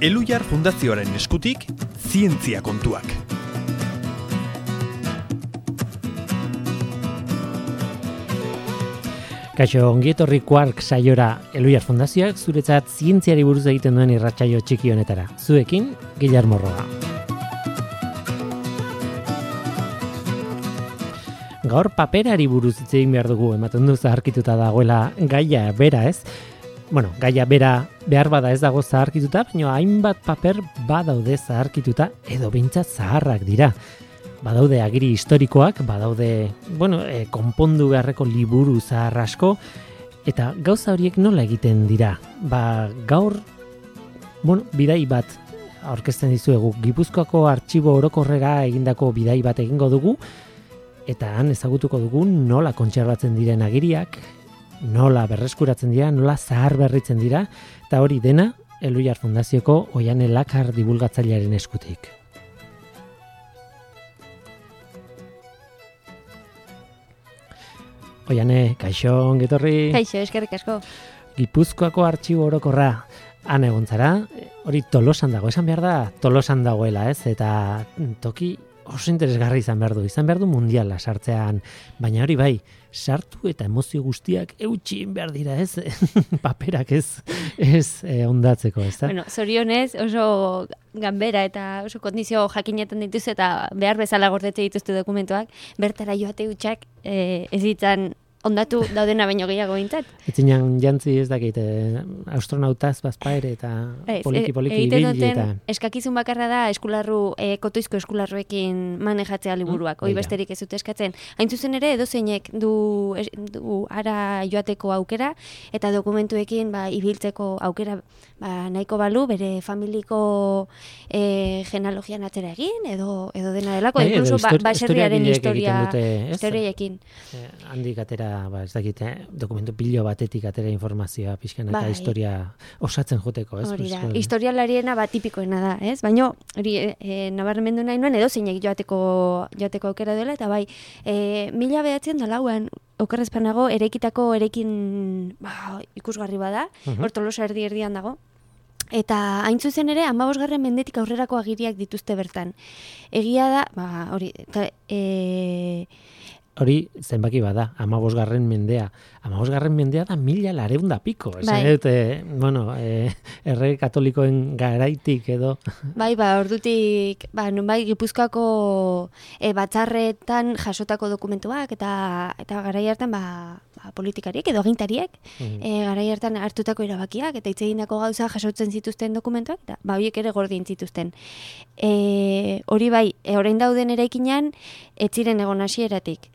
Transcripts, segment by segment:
Elhuyar Fundazioaren eskutik, zientzia kontuak. Kaixo, ongietorri Quark saiora Elhuyar Fundazioak zuretzat zientziari buruz egiten duen irratsaio txiki honetara. Zuekin, Guillermo Roa. Gaur paperari buruz hitz egin behar dugu, ematen du zaharkituta dagoela gaia bera, ez? Bueno, gaia bera behar bada ez dago zaharkituta, baina hainbat paper badaude zaharkituta edo behintzat zaharrak dira. Badaude agiri historikoak, badaude, konpondu beharreko liburu zahar asko, eta gauza horiek nola egiten dira? Gaur, bidai bat aurkezten dizuegu, Gipuzkoako Artxibo Orokorrera egindako bidai bat egingo dugu, eta han ezagutuko dugu nola kontserbatzen diren agiriak, nola berreskuratzen dira, nola zahar berritzen dira, eta hori dena Elhuyar Fundazioko Oiane Lakar divulgatzailearen eskutik. Oiane, kaixo, ongetorri. Kaixo, eskerrik asko. Gipuzkoako Artxibo Orokorra han egon zara, hori Tolosan dago, esan behar da Tolosan dagoela, ez? Eta toki oso interesgarri izan behar du mundiala sartzean, baina hori bai, sartu eta emozio guztiak eutxien behar dira, ez? Paperak ez ondatzeko, ez da? Bueno, zorionez oso ganbera eta oso kondizio jakinetan dituz eta behar bezala gordetze dituzte dokumentuak, bertara joate hutsak ez ditzan ondatu daudena baino gehiago bintzat. Etzinan jantzi ez dakit, astronautaz bazpaere eta poliki ibili eta... Eskakizun bakarra da eskularru, kotoizko eskularruekin manejatzea liburuak, hoi besterik ez dute eskatzen. Hain zuzen ere, edozeinek du ara joateko aukera, eta dokumentuekin ibiltzeko aukera nahiko balu, bere familiko genealogian atzera egin, edo dena delako, inkluso baserriaren historiaekin. Handik atera, ez dakit, dokumentu pilo batetik atera informazioa pixkan eta historia osatzen joteko, ez? Hori da, historialariena tipikoena da, ez? Baina, hori, nabarmendu nahi nuen, edo zeinek joateko aukera dela, eta 1904 okerrezpanago, erekin ikusgarri bada, hor Tolosa erdian dago. Eta hain zuzen ere, 15. mendetik aurrerako agiriak dituzte bertan. Egia da, hori zenbaki bada, 15. mendea. 15. mendea da 1000 piko. Errege katolikoen garaitik edo... Ordutik, Gipuzkoako batzarretan jasotako dokumentuak eta garai hartan politikariek edo agintariek garai hartan hartutako erabakiak eta hitz egindako gauza jasotzen zituzten dokumentuak eta horiek ere gordin zituzten. Hori orain dauden eraikinean ez ziren egon hasieratik.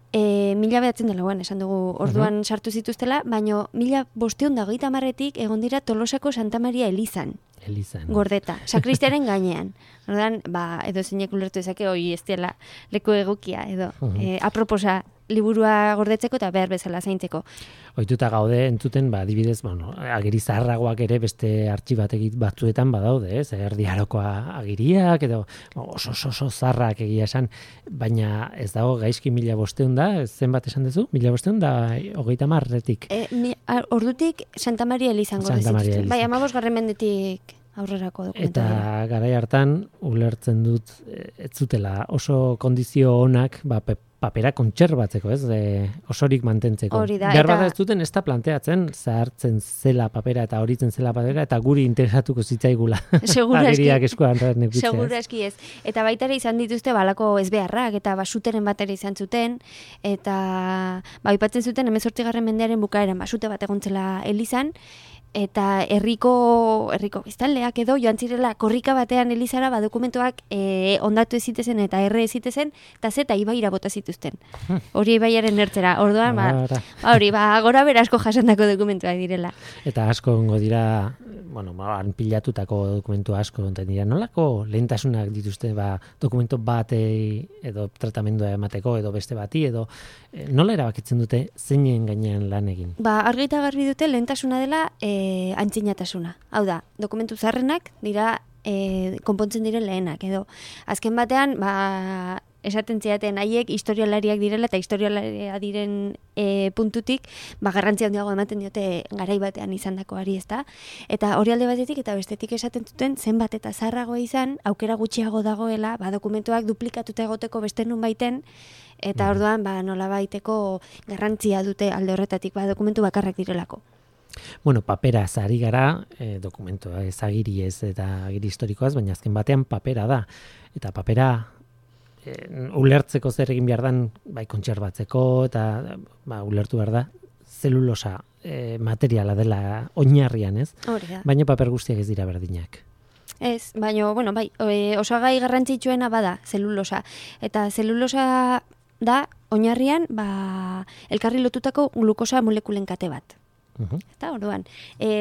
1904 esan dugu orduan sartu zituztela, baina 1530etik egon dira Tolosako Santa Maria Elizan. Gordeta, sakristiaren gainean. Orduan, edo zeinek ulertu ezake, hoi ez dela leku egokia, edo aproposa liburua gordetzeko eta behar bezala zaintzeko. Ohituta gaude entzuten, adibidez, agiri zaharragoak ere beste artxibategit batzuetan badaude, ez? Erdi Arokoa agiriak, edo oso zaharrak egia esan, baina ez dago gaizki 1500 da, zenbat esan duzu? 1530etik. Ordutik Santa Maria Elizan gordezituzten. 15. mendetik aurrerako dokumentu. Eta garai hartan ulertzen dut ez zutela oso kondizio onak papera kontserbatzeko, ez? Osorik mantentzeko. Berbada ez duten ez da planteatzen zahartzen zela papera eta horitzen zela papera eta guri interesatuko zitzaigula. Agiriak eskuan nekitzea. Segurazki ez. Eta baita ere izan dituzte balako ezbeharrak eta basuteren bat ere izan zuten eta aipatzen zuten 18. mendearen bukaeran basute bat egontzela Elizan eta herriko biztanleak edo joan zirela korrika batean Elizara dokumentuak ondatu ez zitezen eta erre ez zitezen eta zeta ibaira bota zituzten. Hori ibaiaren ertzera. Orduan, gora berasko jasandako dokumentuak direla. Eta asko ongo dira, han pilatutako dokumentu asko onten dira. Nolako lehentasunak dituzte dokumentu batei edo tratamendua emateko edo beste bati edo nola erabakitzen dute zeinen gainean lan egin? Argi eta garbi dute lehentasuna dela antzinatasuna. Hau da, dokumentu zaharrenak dira konpontzen diren lehenak, edo azken batean esaten ziaten haiek historialariak direla eta historialaria diren puntutik, garrantzia handiago ematen diote garai batean izandakoari, ezta? Eta hori alde batetik eta bestetik esaten zuten zenbat eta zaharragoa izan, aukera gutxiago dagoela, dokumentuak duplikatuta egoteko beste nunbaiten, eta orduan nolabaiteko garrantzia dute alde horretatik, dokumentu bakarrak direlako. Bueno, papera ari gara, dokumentua ez agiri ez eta agiri historikoaz, baina azken batean papera da. Eta papera ulertzeko zer egin behar dan, bai kontserbatzeko, eta ulertu behar da, zelulosa materiala dela oinarrian, ez? Baina paper guztiak ez dira berdinak. Ez, baina, osagai garrantzitsuena bada, zelulosa. Eta zelulosa da, oinarrian, elkarri lotutako glukosa molekulen kate bat. Eta orduan,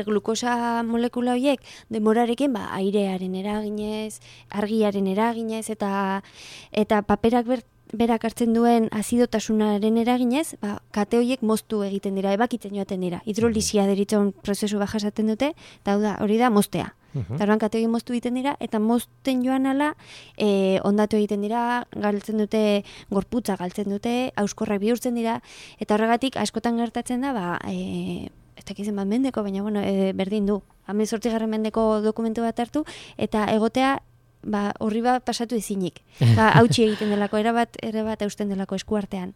glukosa molekula horiek demorarekin airearen eraginez, argiaren eraginez eta paperak berak hartzen duen azidotasunaren eraginez, kate horiek moztu egiten dira, ebakitzen joaten dira. Hidrolisia deritzon prozesu bat jasaten dute, eta hori da moztea. Eta orduan kate horiek moztu egiten dira, eta mozten joan ala, ondatu egiten dira, galtzen dute, gorputza galtzen dute, auskorrak bihurtzen dira, eta horregatik askotan gertatzen da, ez dakizen bat mendeko, baina berdin du. 18. mendeko dokumentu bat hartu, eta egotea horri bat pasatu ezinik. Hautsi egiten delako, erabat eusten delako eskuartean.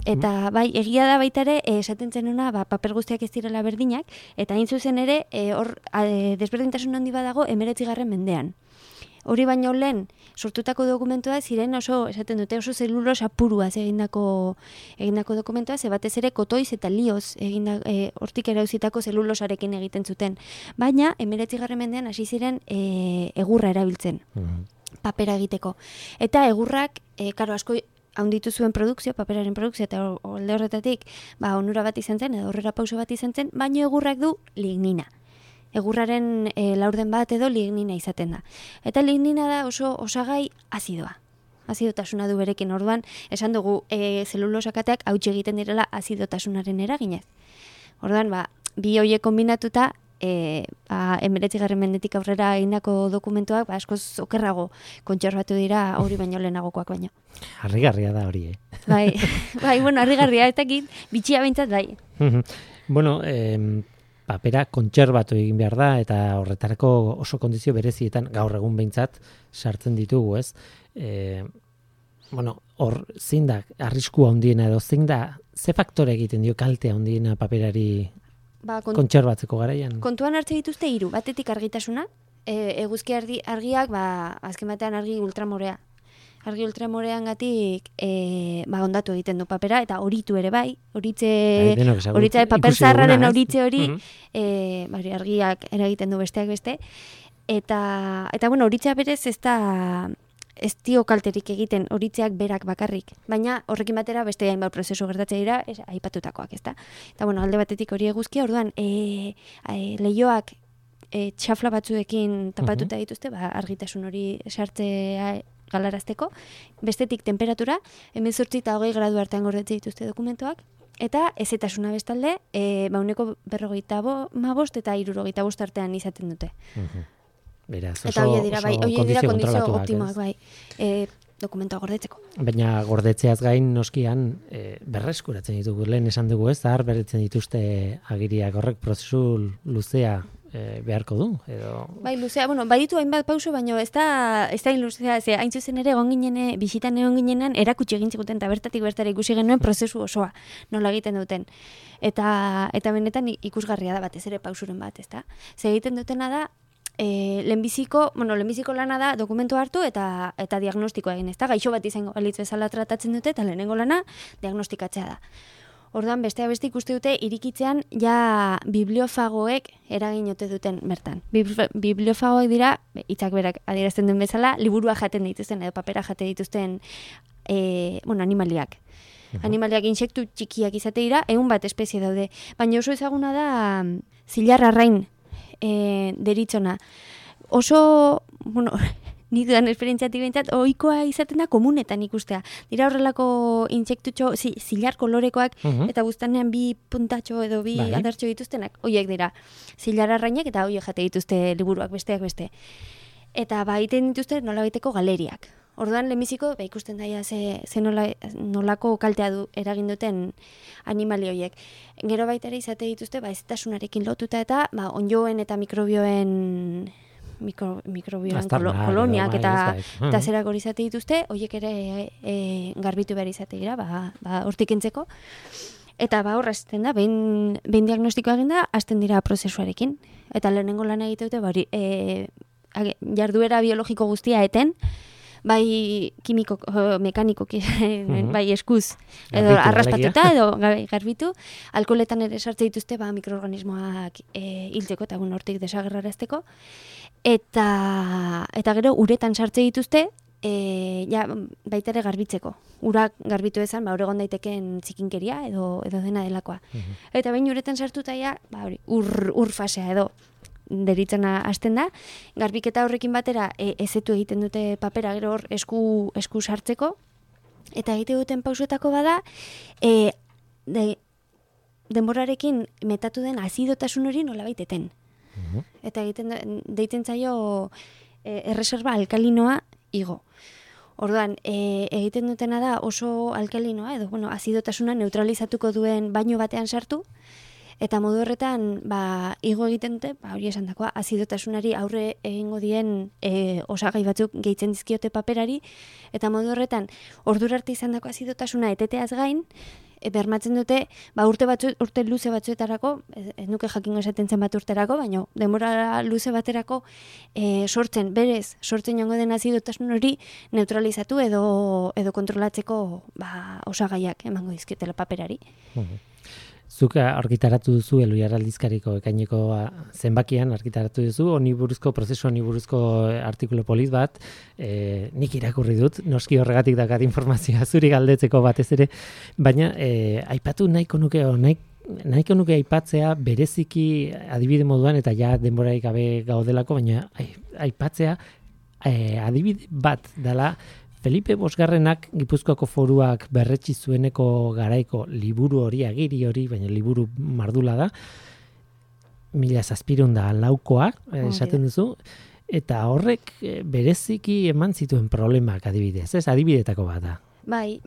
Eta egia da baita ere, esaten zenuna, paper guztiak ez direla berdinak, eta hain zuzen ere, hor desberdintasun handi badago 19. mendean. Hori baino lehen, sortutako dokumentua ziren esaten dute, oso zelulosa puruaz egindako dokumentua, ze batez ere kotoiz eta lioz hortik erauzitako zelulosarekin egiten zuten. Baina, 19. mendean hasi ziren egurra erabiltzen, papera egiteko. Eta egurrak, asko handitu zuen produkzio, paperaren produkzio, eta alde horretatik, onura bat izan zen, edo horrera pauso bat izan zen, baina egurrak du lignina. Egurraren laurden bat edo lignina izaten da. Eta lignina da oso osagai azidoa. Azidotasuna du berekin, orduan, esan dugu zelulosakateak hautsi egiten direla azidotasunaren eraginez. Orduan, bi hoiek kombinatuta, 19. mendetik aurrera egindako dokumentuak askoz okerrago kontserbatu dira hori baino lehenagokoak baino. Harrigarria da hori, harrigarria, ez dakit, bitxia behintzat bai. Bueno, papera kontserbatu egin behar da, eta horretarako oso kondizio berezietan, gaur egun behintzat, sartzen ditugu, ez? Hor, zein da, arriskua handiena edo, zein da, ze faktore egiten dio kaltea handiena paperari kontserbatzeko garaian? Kontuan hartze dituzte 3, batetik argitasuna, eguzki argiak, azken batean argi ultramorea. Argi ultramorean gatik ondatu egiten du papera, eta horitu ere bai, horitze paper zaharraren horitze hori, argiak eragiten du besteak beste, eta horitzea berez ez dio kalterik egiten horitzeak berak bakarrik, baina horrekin batera beste hainbat prozesu gertatzen dira, aipatutakoak, ezta? Eta alde batetik hori eguzkia, orduan leihoak txafla batzuekin tapatuta dituzte, argitasun hori sartzea galarazteko, bestetik temperatura, 18 eta 20 gradu artean gordetzen dituzte dokumentuak, eta ezetasuna bestalde, 45 eta 65 artean izaten dute. Beraz, eta hori dira kondizio optimoak dokumentua gordetzeko. Baina gordetzeaz gain noskian berreskuratzen ditugu, lehen esan dugu ez, berretzen dituzte agiriak horrek prozesu luzea beharko du, edo... Luzea, baditu hainbat pauso, baina ez da luzea, hain zuzen ere bisitan egon ginenean erakutsi egin ziguten, eta bertatik bertara ikusi genuen prozesu osoa, nola egiten duten. Eta benetan ikusgarria da batez ere pausuren bat, ez da? Ze egiten dutena da, lehenbiziko lana da dokumentu hartu eta diagnostikoa egin, ez da? Gaixo bat izango balitz bezala tratatzen dute, eta lehenengo lana diagnostikatzea da. Orduan, beste ikuste dute, irikitzean ja bibliofagoek eragin ote duten bertan. Bibliofagoek dira, hitzak berak adierazten duen bezala, liburua jaten dituzten, edo papera jate dituzten animaliak. Animaliak insektu txikiak izate dira, 100 bat espezie daude. Baina oso ezaguna da zilar arrain deritzona. Oso, nik dudan esperientziatik behintzat, ohikoa izaten da komunetan ikustea. Dira horrelako intsektutxo, zilar kolorekoak, eta buztanean 2 puntatxo edo 2 adartxo dituztenak, horiek dira. Zilar arrainak eta horiek jate dituzte liburuak besteak beste. Eta egiten dituzte nola baiteko galeriak. Orduan lehenbiziko ikusten daia ze nolako kaltea eragin duten animali horiek. Gero baita ere izate dituzte hezetasunarekin lotuta eta onjoen eta mikrobioen koloniak eta zerak hori izate dituzte, horiek ere garbitu behar izate dira, hortik entzeko. Eta horra hasten da, behin diagnostikoa egin da, hasten dira prozesuarekin. Eta lehenengo lan egite dute, jarduera biologiko guztia eten, bai kimiko, mekanikoki, bai eskuz, edo arraspatuta, edo garbitu, alkoholetan ere sartze dituzte mikroorganismoak hiltzeko eta hortik desagerrarazteko. Eta gero uretan sartze dituzte, baita ere garbitzeko. Urak garbitu ezan, hor egon daitekeen txikinkeria edo dena delakoa. Eta behin uretan sartuta ur fasea edo deritzena hasten da, garbiketa horrekin batera ezetu egiten dute papera gero hor esku sartzeko, eta egite duten pausuetako bada, denborarekin metatu den azidotasun hori nolabait eten. Eta deiten zaio erreserba alkalinoa igo. Orduan, egiten dutena da oso alkalinoa, edo azidotasuna neutralizatuko duen baino batean sartu, eta modu horretan, igo egiten dute, hori esan dakoa, azidotasunari aurre egingo dien osagai batzuk gehitzen dizkiote paperari, eta modu horretan, ordura arte izan dako azidotasuna eteteaz gain, bermatzen dute, urte luze batzuetarako, ez nuke jakingo esaten zen bat urterako, baina denbora luze baterako sortzen jongo den azidotasun hori neutralizatu edo kontrolatzeko osagaiak emango dizkiotela paperari. Zuk argitaratu duzu Elhuyar aldizkariko ekaineko zenbakian argitaratu duzu prozesu honi buruzko artikulu polit bat, nik irakurri dut, noski horregatik dakat informazioa zuri galdetzeko batez ere, baina aipatu nahiko nuke aipatzea bereziki adibide moduan eta ja denborarik gabe gaudelako, baina aipatzea adibide bat dela Felipe Bosgarrenak Gipuzkoako Foruak berretsi zueneko garaiko liburu hori, agiri hori, baina liburu mardula da, 1704 esaten duzu, eta horrek bereziki eman zituen problemak adibidez, ez? Adibidetako bat da. Bai,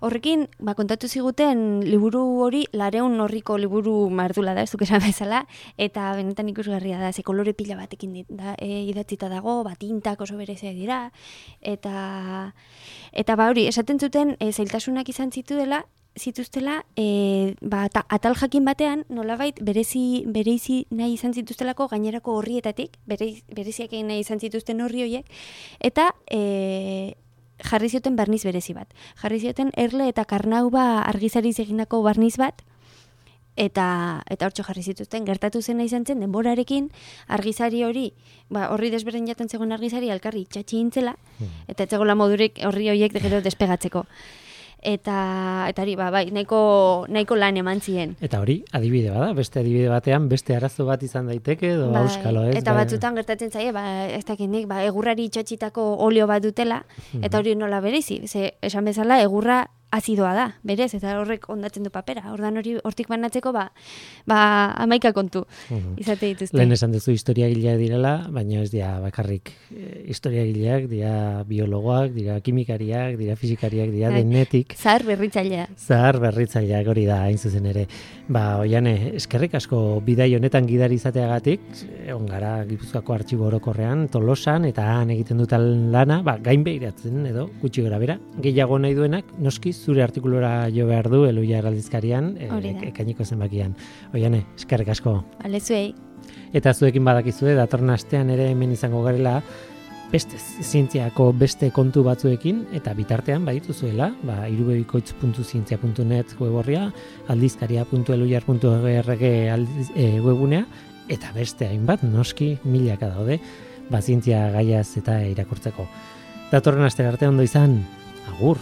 horrekin, kontatu ziguten liburu hori, 400 orriko liburu mardula da, ez duk esan bezala, eta benetan ikusgarria da, ze kolore pila batekin idatzita dago, tintak oso bereziak dira, eta hori, esaten zuten, zailtasunak izan zituztela, atal jakin batean, nolabait, bereizi nahi izan zituztelako gainerako horrietatik, bereziak egin nahi izan zituzten horri horiek, eta jarri zioten barniz berezi bat. Jarri zioten erle eta karnauba argizariz egindako barniz bat, eta hortxo jarri zituzten. Gertatu zena izan zen, denborarekin argizari hori, horri desberdin jaten zegoen argizari alkarri itxatxi intzela, eta etzegoela modurik horri horiek gero despegatzeko. Eta hori, nahiko lan eman ziren. Eta hori, adibide bada, beste adibide batean, beste arazo bat izan daiteke, edo auskalo, ez? Eta batzutan gertatzen zaie, ez dakit nik, egurrari itxatxitako olio bat dutela, eta hori nola berezi, esan bezala, egurra azidoa da, berez, eta horrek ondatzen du papera. Ordan hortik banatzeko, 11 kontu izate dituzte. Lehen esan duzu historiagileak direla, baina ez dira bakarrik historiagileak, dira biologoak, dira kimikariak, dira fisikariak, dira denetik. Zahar berritzaileak hori da, hain zuzen ere. Oiane, eskerrik asko bidai honetan gidari izateagatik, egon gara Gipuzkoako Artxibo Orokorrean, Tolosan, eta han egiten duten lana, gain behiratzen edo, gutxi gara bera, gehiago nahi duenak, noski zure artikulura jo behar du Elhuyar aldizkarian, ekainiko zenbakian. Oiane, eskerrik asko. Bale, zuei. Eta zuekin badakizue, datorren astean ere hemen izango garela, beste zientziako beste kontu batzuekin, eta bitartean badituzuela, irubebikoitz.zientzia.net web-orria, aldizkaria.elhuyar.org webunea, eta beste hainbat, noski, milaka daude, zientzia gaiaz eta irakurtzeko. Datorren astera arte ondo izan, agur!